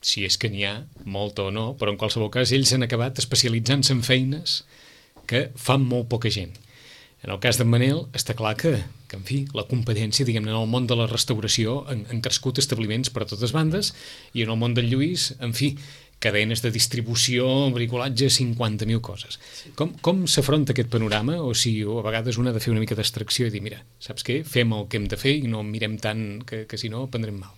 si és que n'hi ha, molta o no, però en qualsevol cas ells han acabat especialitzant-se en feines que fan molt poca gent. En el cas d'en Manel, està clar que, que en fi, la competència, diguem-ne, en el món de la restauració han, han crescut establiments per a totes bandes, i en el món del Lluís, en fi, cadenes de distribució, bricolatge, cinquanta mil coses. Com, com s'afronta aquest panorama? O si o a vegades un ha de fer una mica d'extracció i dir, mira, saps què? Fem el que hem de fer i no mirem tant que, que si no prendrem mal.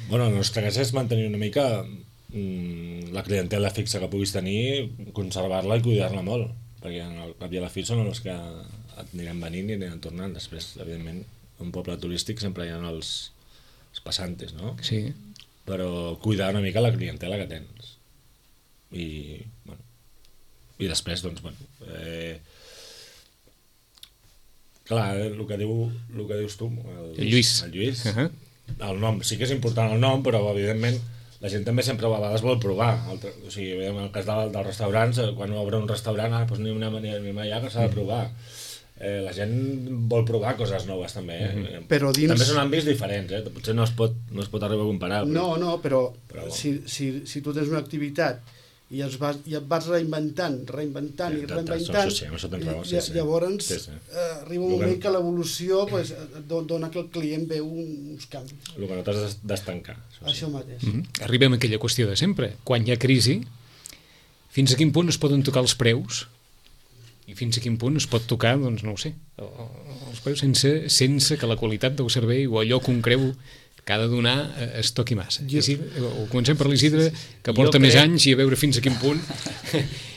Bueno, el nostre cas és mantenir una mica mmm, la clientela fixa que puguis tenir, conservar-la i cuidar-la molt, perquè al cap i a la fi són els que et aniran venint i aniran tornant. Després, evidentment, un poble turístic sempre hi ha els, els passantes, no? Sí. Però cuidar una mica la clientela que tens. I, bueno, i després, doncs, bueno, eh, clar, el que, diu, el que dius tu, el, el Lluís, el Lluís, uh -huh. el nom, sí que és important el nom, però evidentment la gent també sempre a vegades vol provar. El, o sigui, en el cas del, dels restaurants, quan obre un restaurant, ah, doncs anem, anem, anem allà que s'ha de provar. Eh, la gent vol provar coses noves també, eh? Mm-hmm. Però dins... També són àmbits diferents, eh? Potser no es pot, no es pot arribar a comparar. Però... No, no, però, però si, si, si tu tens una activitat i, es vas, i et vas reinventant, reinventant sí, i reinventant, sí, sí, raó, sí, sí. llavors sí, sí. Eh, arriba un moment que l'evolució pues, dona que el client veu uns canvis. El que no t'has d'estancar. Això, això sí. mateix. Mm-hmm. Arribem a aquella qüestió de sempre. Quan hi ha crisi, fins a quin punt es poden tocar els preus i fins a quin punt es pot tocar, doncs no ho sé, els preus sense, sense que la qualitat del servei o allò que un creu que ha de donar eh, es toqui massa. Jo... O comencem per l'Isidre, que porta crec... més anys i a veure fins a quin punt.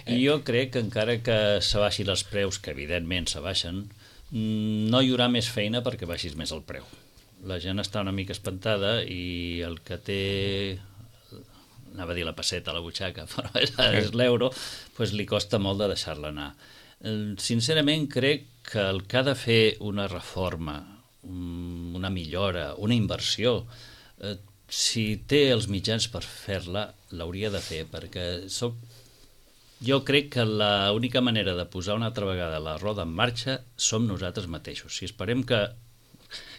Jo crec que encara que s'abaixin els preus, que evidentment s'abaixen, no hi haurà més feina perquè baixis més el preu. La gent està una mica espantada i el que té... anava a dir la pesseta a la butxaca, però és, és l'euro, doncs li costa molt de deixar-la anar. Sincerament crec que el que ha de fer una reforma, una millora, una inversió, eh, si té els mitjans per fer-la, l'hauria de fer, perquè soc... jo crec que l'única manera de posar una altra vegada la roda en marxa som nosaltres mateixos. Si esperem que,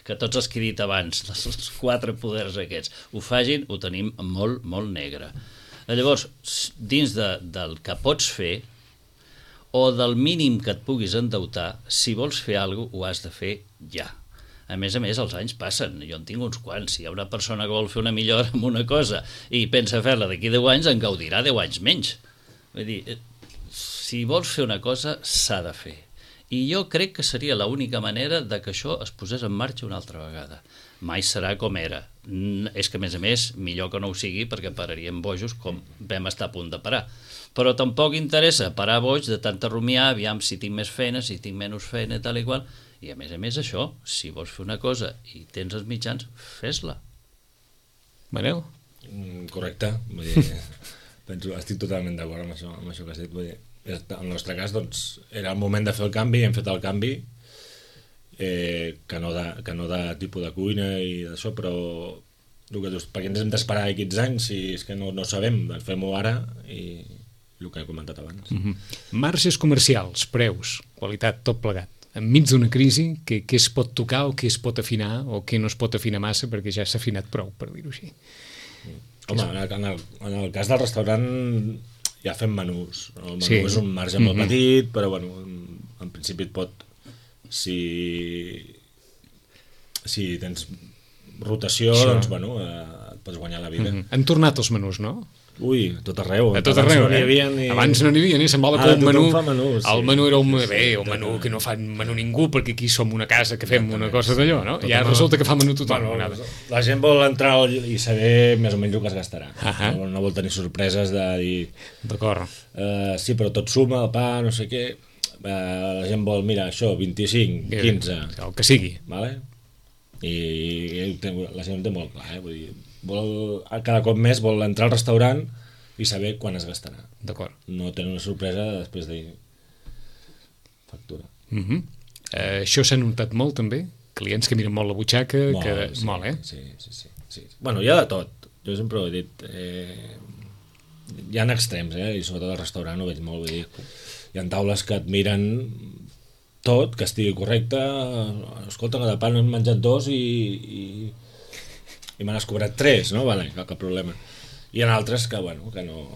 que tots els que he dit abans, els quatre poders aquests, ho fagin, ho tenim molt, molt negre. Llavors, dins de, del que pots fer, o del mínim que et puguis endeutar, si vols fer alguna cosa, ho has de fer ja. A més a més, els anys passen, jo en tinc uns quants. Si hi ha una persona que vol fer una millora en una cosa i pensa fer-la d'aquí deu anys, en gaudirà deu anys menys. Vull dir, si vols fer una cosa, s'ha de fer. I jo crec que seria l'única manera de que això es posés en marxa una altra vegada. Mai serà com era. És que, a més a més, millor que no ho sigui perquè pararíem bojos com vam estar a punt de parar. Però tampoc interessa parar boig de tanta rumiar, aviam si tinc més feina, si tinc menys feina, tal i qual. I a més a més això, si vols fer una cosa i tens els mitjans, fes-la. Manel? Mm, correcte. Vull dir, penso, estic totalment d'acord amb això, amb això que has dit. Vull dir, en el nostre cas, doncs, era el moment de fer el canvi, hem fet el canvi, eh, que, no de, que no de tipus de cuina i d'això, però el que dius, per què ens hem d'esperar aquests anys si és que no, no sabem, doncs fem-ho ara i el que he comentat abans. Mm-hmm. Marges comercials, preus, qualitat, tot plegat. Enmig d'una crisi, què, què es pot tocar o què es pot afinar o què no es pot afinar massa perquè ja s'ha afinat prou, per dir-ho així. Home, en el, en, el, en el cas del restaurant ja fem menús. El menú sí. és un marge molt mm-hmm. petit, però bueno, en, en principi et pot... Si, si tens rotació, sí. doncs bueno, eh, et pots guanyar la vida. Mm-hmm. Han tornat els menús, no? Ui, a tot arreu. A tot arreu, no eh? Ni... Abans no n'hi havia, ni semblava que un menú... menús, sí. El menú era un bé, un menú que no fa menú ningú, perquè aquí som una casa que fem una cosa d'allò, no? I ara resulta que fa menú tothom. Bueno, la gent vol entrar i saber més o menys el que es gastarà. Uh-huh. No, no vol tenir sorpreses de dir... D'acord. Uh, sí, però tot suma, el pa, no sé què... Uh, la gent vol, mira, això, vint-i-cinc, quinze... El que sigui. Vale? I, i la gent ho té molt clar, eh? Vull dir, vol, cada cop més vol entrar al restaurant i saber quan es gastarà. D'acord. No tenir una sorpresa després de factura. Uh-huh. eh, això s'ha notat molt també? Clients que miren molt la butxaca, molt, que... sí, molt, eh? Sí, sí, sí, sí. Bueno, hi ha de tot. Jo sempre ho he dit. Eh, hi ha extrems, eh? I sobretot al restaurant ho veig molt. Vull dir, hi ha taules que et miren tot, que estigui correcte. Escolta, que de pa n'hem menjat dos i, i, i me n'has cobrat tres, no? Vale, cap, cap problema. Hi ha altres que, bueno, que no,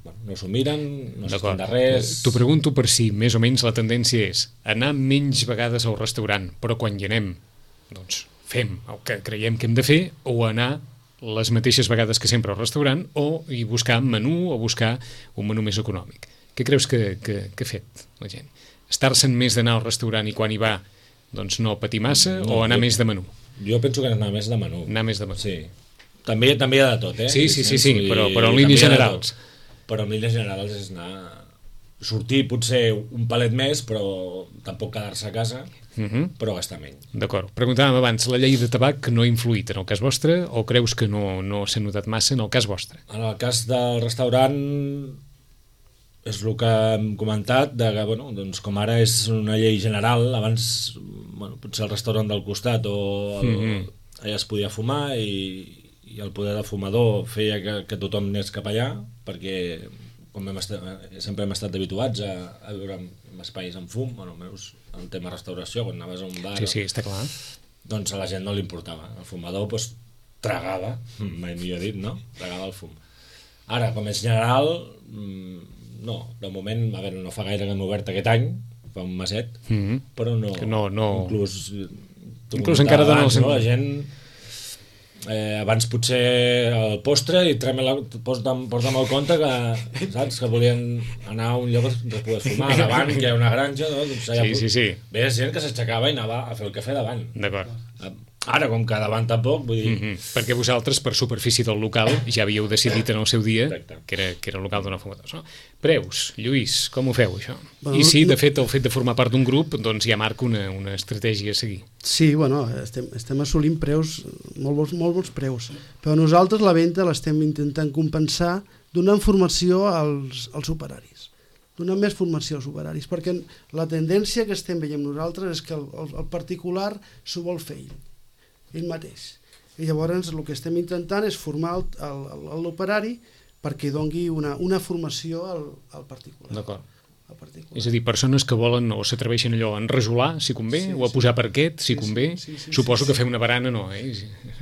bueno, no s'ho miren, no s'estan de res... T'ho pregunto per si més o menys la tendència és anar menys vegades al restaurant, però quan hi anem, doncs fem el que creiem que hem de fer, o anar les mateixes vegades que sempre al restaurant, o i buscar menú o buscar un menú més econòmic. Què creus que, que, que ha fet la gent? Estar-se'n més d'anar al restaurant i quan hi va doncs no patir massa No, o anar jo- més de menú? Jo penso que anar més de menú. Anar més de menú. Sí. També, també hi ha de tot, eh? Sí, sí, sí, sí, Vull dir, però- però en també línies hi ha de generals. tot. Però en línies generals és anar... Sortir potser un palet més, però tampoc quedar-se a casa, Uh-huh. però gastar menys. D'acord. Preguntàvem abans, la llei de tabac no ha influït en el cas vostre o creus que no, no s'ha notat massa en el cas vostre? En el cas del restaurant és el que hem comentat, de que, bueno, doncs com ara és una llei general, abans bueno, potser el restaurant del costat o el, Mhm. allà es podia fumar i, i el poder de fumador feia que, que tothom anés cap allà, perquè com hem estat, sempre hem estat habituats a, a viure en, en espais amb fum, bueno, almenys en el tema restauració, quan anaves a un bar, Sí, sí, està clar. doncs a la gent no li importava. El fumador doncs, tragava, mai millor dit, no? Tragava el fum. Ara, com és general, mm, no, de moment, a veure, no fa gaire que hem obert aquest any, fa un meset, Mhm. però no... Que no- no- Inclús, t'ho Inclús comentava encara dona abans, el no? La sentit. gent... Eh, abans potser el postre i trem-la, porta'm, porta'm el compte que, saps, que volien anar a un lloc on es pogués fumar, davant que hi ha una granja, no? Doncs allà Sí, sí, sí. Ve gent que s'aixecava i anava a fer el cafè davant. D'acord. Ara, com que davant tampoc, vull dir... Mhm. Perquè vosaltres, per superfície del local, ja havíeu decidit en el seu dia Exacte. que era, que era el local d'una fumadors. No? Preus, Lluís, com ho feu, això? Bueno, I sí, no- de fet, el fet de formar part d'un grup doncs ja marca una, una estratègia a seguir. Sí, bueno, estem, estem assolint preus, molt bons, molt bons preus, però nosaltres la venda l'estem intentant compensar donant formació als, als operaris, donant més formació als operaris, perquè la tendència que estem veient nosaltres és que el, el, el particular s'ho vol fer ell, ell mateix. I llavors el que estem intentant és formar el- el- el- l'operari perquè dongui una, una formació al, al particular. D'acord. Al particular. És a dir, persones que volen o s'atreveixen allò a enrejolar, si convé, Sí, o a sí. posar parquet, si Sí, sí, convé. sí, sí, Suposo sí, que sí. fer una barana no, eh?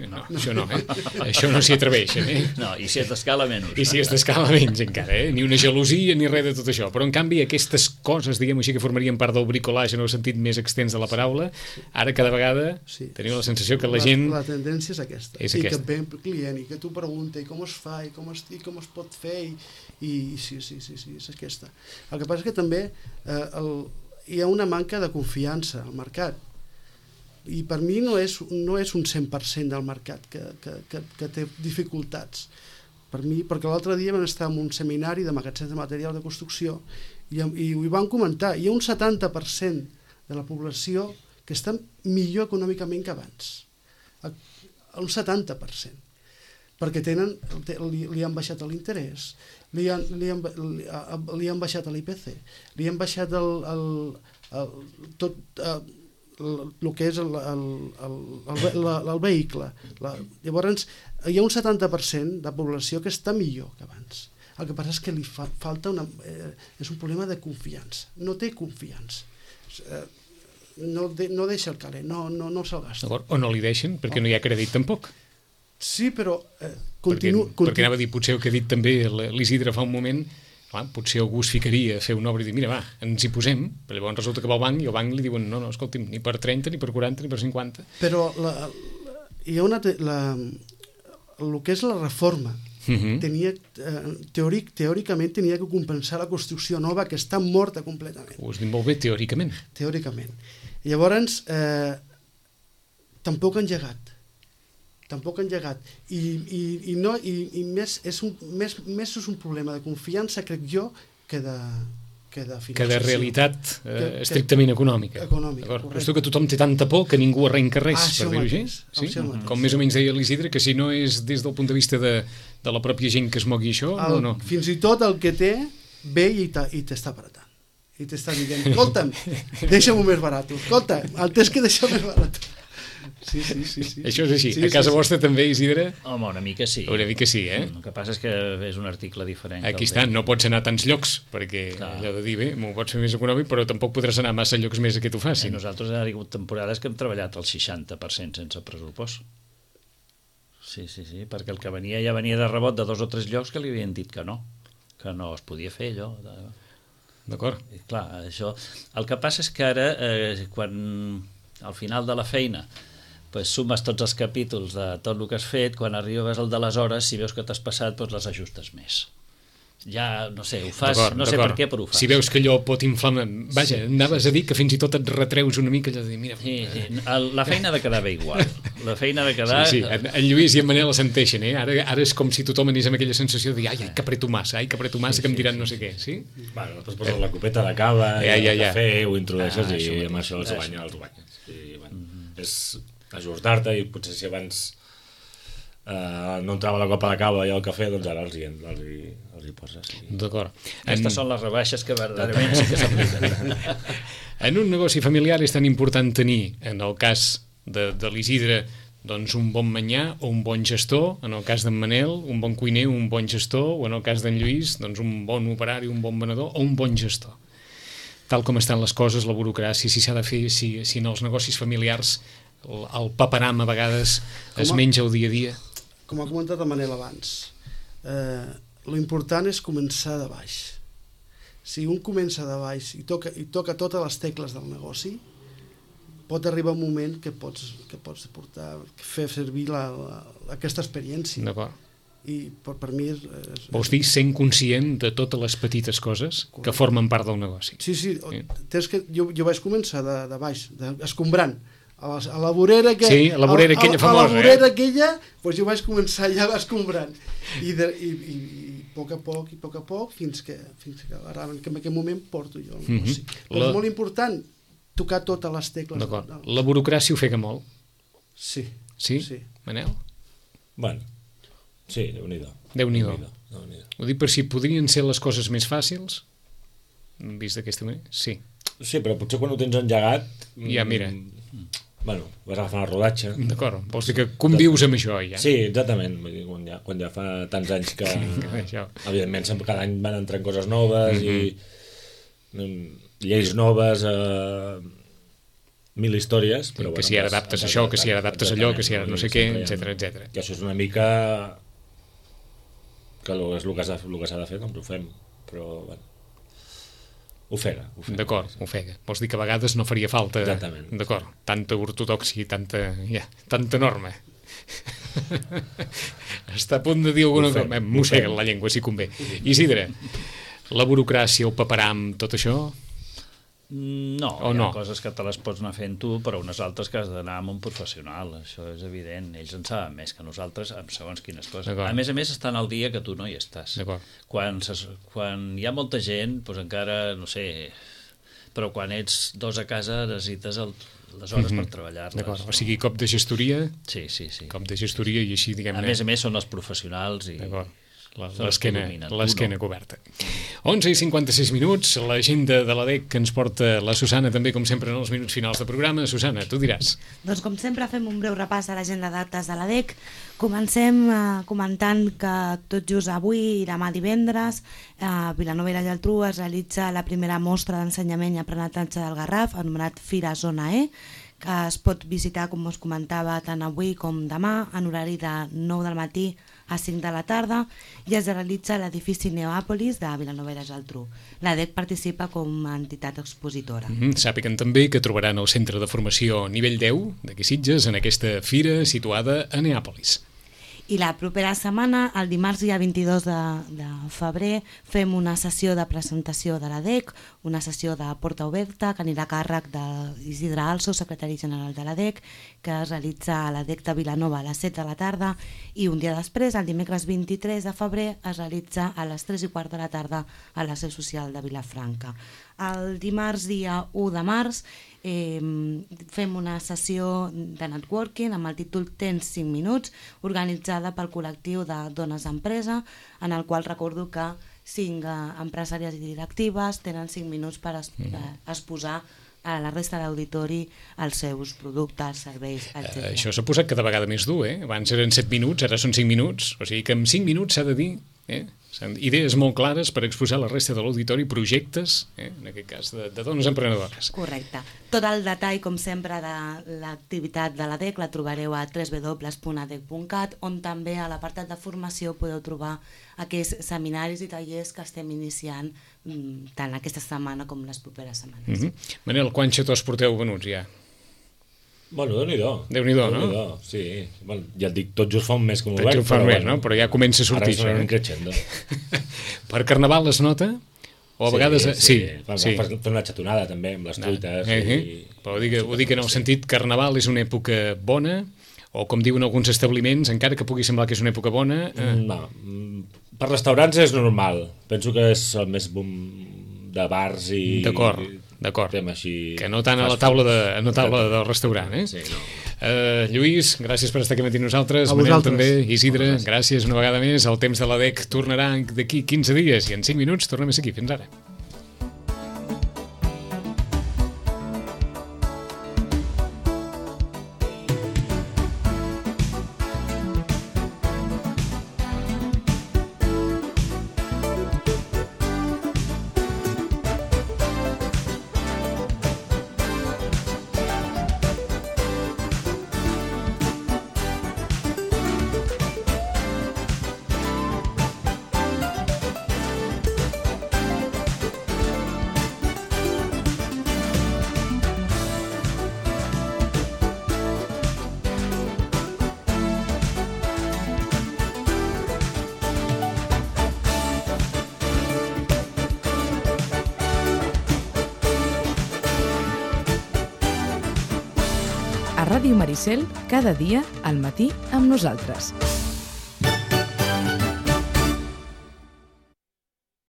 No, això no, eh? Això no s'hi atreveixen, eh? No, i si és d'escala menys. I si és d'escala menys encara, eh? Ni una gelosia ni res de tot això. Però en canvi aquestes coses, diguem així, que formarien part del bricolage en el sentit més extens de la paraula, ara cada vegada Sí. teniu la sensació que la gent... La, la tendència és aquesta. És I aquesta. que ve el client i que tu pregunta i com es fa i com es, i com es pot fer i, i, i sí, sí, sí, sí, és aquesta. El que passa és que també eh, el, hi ha una manca de confiança al mercat i per mi no és, no és un cent per cent del mercat que, que, que, que té dificultats. Per mi, perquè l'altre dia vam estar en un seminari de magatzems de material de construcció i, i ho hi van comentar, hi ha un setanta per cent de la població que està millor econòmicament que abans, un setanta per cent, perquè tenen, li, li han baixat l'interès, li, han, li, han, li, li han baixat l'I P C, li han baixat el, el, el, tot el, el que és el, el, el, el, el vehicle. La, llavors, hi ha un setanta per cent de població que està millor que abans. El que passa és que li fa, falta una... Eh, és un problema de confiança. No té confiança. Eh, no, de, no deixa el caler, no, no, no se'l gasta. D'acord? O no li deixen, perquè no hi ha crèdit tampoc. Sí, però eh, Perquè, continu, perquè continu, anava a dir, potser el que ha dit també l'Isidre fa un moment, clar, potser algú es ficaria a fer una obra i dir, mira, va, ens hi posem, però llavors resulta que va al banc i al banc li diuen, no, no, escolti'm, ni per trenta, ni per quaranta, ni per cinquanta. però la, la, hi ha una... Te, la, el que és la reforma Mhm. tenia, eh, teòric, teòricament tenia que compensar la construcció nova que està morta completament, Ho has dit molt bé, teòricament. teòricament. I llavors eh, tampoc han llegat tampoc han llegat i, i, i, no, i, i més, és un, més, més és un problema de confiança, crec jo, que de, que de Que finançació. de realitat eh, Que- que- estrictament econòmica. Econòmica, D'acord? correcte. Però que tothom té tanta por que ningú arrenca res, Ah, per això dir-ho així. mateix, Sí? això mateix. Com més o menys deia l'Isidre, que si no és des del punt de vista de, de la pròpia gent que es mogui això, El, no, no. Fins i tot el que té ve i t'ha- i t'està apretant i t'està dient, escolta'm, deixa-m'ho més barat, escolta, el tens que deixar més barat. Sí, sí, sí, sí. Això és així. Sí, A casa sí, sí. vostra també, Isidre? Home, una mica sí. Hauré dit que sí, eh? El que passa és que és un article diferent. que Aquí el està, de- no pots anar a tants llocs, perquè Clar. allò de dir, bé, m'ho pots fer més econòmic, però tampoc podràs anar a massa llocs més a que t'ho Sí, facin. nosaltres ha hagut temporades que hem treballat el seixanta per cent sense pressupost. Sí, sí, sí, perquè el que venia ja venia de rebot de dos o tres llocs que li havien dit que no, que no es podia fer allò. De... D'acord? I clar, això... El que passa és que ara, eh, quan al final de la feina pues, sumes tots els capítols de tot el que has fet, quan arribes al de les hores, si veus que t'has passat, doncs les ajustes més. Ja, no sé, ho fas, no sé per què, però ho fas. Si veus que allò pot inflamar... Vaja, sí, anaves sí, a dir que fins i tot et retreus una mica allò de dir, mira... Sí, sí. La feina ha de quedar bé igual. La feina ha de quedar... Sí, sí, en, en Lluís i en Manel senteixen, eh? Ara, ara és com si tothom anés amb aquella sensació de dir, ai, ai, que apreto massa, ai, que apreto massa, sí, que em diran sí, no sé sí, què, sí? Bueno, després poses la copeta de cava ja, i ja, el ja. cafè, ho introdueixes ah, i amb això els guanya, els guanyes. I, bueno, mm-hmm. és ajustar-te i potser si abans Uh, no entrava la copa de cava i el cafè, doncs ara els hi, els hi, els hi poses. I... D'acord. Aquestes en... són les rebaixes que verdaderament sí que s'apliquen. En un negoci familiar és tan important tenir, en el cas de, de l'Isidre, doncs un bon manyà o un bon gestor, en el cas d'en Manel, un bon cuiner, un bon gestor, o en el cas d'en Lluís, doncs un bon operari, un bon venedor o un bon gestor. Tal com estan les coses, la burocràcia, si s'ha de fer, si, si en els negocis familiars el, el paperam a vegades es a... menja el dia a dia. Com ha comentat el Manel abans, eh, lo important és començar de baix. Si un comença de baix i toca, i toca totes les tecles del negoci, pot arribar un moment que pots, que pots portar, fer servir la, la, aquesta experiència. D'acord. I per, per mi és, és... Vols dir sent conscient de totes les petites coses Correcte. Que formen part del negoci. Sí, sí, sí. Tens que, jo, jo vaig començar de, de baix, de, escombrant. A la, a la vorera que, sí, a la vorera a, aquella famosa, a la vorera eh? aquella, doncs jo vaig començar ja escombrant i, de, i, i, i a poc a poc i a poc a poc fins que, fins que, ara, que en aquest moment porto jo el negoci. Mm-hmm. Però la... és molt important tocar totes les tecles. D'acord. La burocràcia ofega molt? Sí. Sí? sí. Manel? Bueno, sí, Déu-n'hi-do. Déu-n'hi-do. Déu-n'hi-do. Ho dic per si podrien ser les coses més fàcils, vist d'aquesta manera? Sí. Sí, però potser quan ho tens engegat... Ja, mira... Bueno, vas agafant el rodatge. D'acord, vols dir que convius amb això ja? Sí, exactament, quan ja, quan ja fa tants anys que evidentment cada any van entrant coses noves mm-hmm. i lleis noves, eh, mil històries, però que bueno, si ara adaptes això, que si ara adaptes allò, que si ara no sé què, etcètera, etcètera. Que això és una mica que és el que s'ha de fer, doncs ho fem, però bueno, ofega, ofega. D'acord, ofega. Vols dir que a vegades no faria falta... Exactament. D'acord, tanta ortodoxia i tanta, ja, tanta norma. Està a punt de dir alguna cosa. Mossega la llengua, si convé. Isidre, la burocràcia, el paperam, tot això... No, o hi ha no? Coses que te les pots anar fent tu, però unes altres que has d'anar amb un professional, això és evident. Ells en saben més que nosaltres amb segons quines coses. A més a més estan al dia que tu no hi estàs. Quan, quan hi ha molta gent, doncs encara, no sé, però quan ets dos a casa necessites el, les hores mm-hmm. per treballar-les. D'acord, o sigui, cop de gestoria, sí, sí, sí. cop de gestoria i així, diguem-ne... A més a més són els professionals i... D'acord. L'esquena coberta. onze i cinquanta-sis minuts, l'agenda de l'A D E C que ens porta la Susana també, com sempre, en els minuts finals de programa. Susana, tu diràs. Doncs com sempre fem un breu repàs a l'agenda d'actes de l'A D E C. Comencem eh, comentant que tot just avui i demà divendres a Vilanova i la Geltrú es realitza la primera mostra d'ensenyament i aprenentatge del Garraf, anomenat Fira Zona E, que es pot visitar, com us comentava, tant avui com demà, en horari de nou del matí a cinc de la tarda, i es realitza a l'edifici Neòpolis de Vilanova i la Geltrú. L'A D E C participa com a entitat expositora. Mm-hmm. Sàpiguen també que trobaran el centre de formació nivell deu d'aquí Sitges en aquesta fira situada a Neòpolis. I la propera setmana, el dimarts dia vint-i-dos de, de febrer, fem una sessió de presentació de l'A D E C, una sessió de porta oberta que anirà a càrrec d'Isidre Also, secretari general de l'A D E C, que es realitza a l'A D E C de Vilanova a les set de la tarda, i un dia després, el dimecres vint-i-tres de febrer, es realitza a les tres i quart de la tarda a la seu social de Vilafranca. El dimarts dia u de març eh, fem una sessió de networking amb el títol Tens cinc minuts, organitzada pel col·lectiu de Dones Empresa, en el qual recordo que cinc eh, empresàries i directives tenen cinc minuts per es, eh, exposar a la resta d'auditori els seus productes, serveis, etcètera. Uh, això s'ha posat cada vegada més dur, eh? Abans eren set minuts, ara són cinc minuts, o sigui que en cinc minuts s'ha de dir... Eh? Idees molt clares per exposar a la resta de l'auditori projectes, eh, en aquest cas de, de dones emprenedores. Correcte. Tot el detall, com sempre, de l'activitat de l'A D E C la trobareu a w w w punt a d e c punt cat, on també a l'apartat de formació podeu trobar aquests seminaris i tallers que estem iniciant tant aquesta setmana com les properes setmanes. Mm-hmm. Manel, quants xatós porteu venuts ja? Bueno, Déu-n'hi-do. Déu-n'hi-do, no? Déu-n'hi-do, sí. Bueno, ja et dic, tot just fa un mes que m'ho Tot veig, just fa un però mes, no? Però ja comença a sortir ara això, eh? creixendo. Per Carnaval es nota? O a vegades... Sí, Sí, sí. sí. Per fer una xatonada també, amb les truites. Eh, eh. I... Però ho dic, ho dic en el sentit, Carnaval és una època bona, o com diuen alguns establiments, encara que pugui semblar que és una època bona... Eh... No, per restaurants és normal. Penso que és el més boom de bars i... D'acord, d'acord. Així... Que no tant a la taula, de, a la taula del restaurant, eh? Sí, no. Uh, Lluís, gràcies per estar aquí matí nosaltres. A Manel vosaltres. també, Isidre, gràcies una vegada més. El temps de la D E C tornarà d'aquí quinze dies i en cinc minuts tornem a ser aquí. Fins ara. A Ràdio Maricel, cada dia al matí amb nosaltres.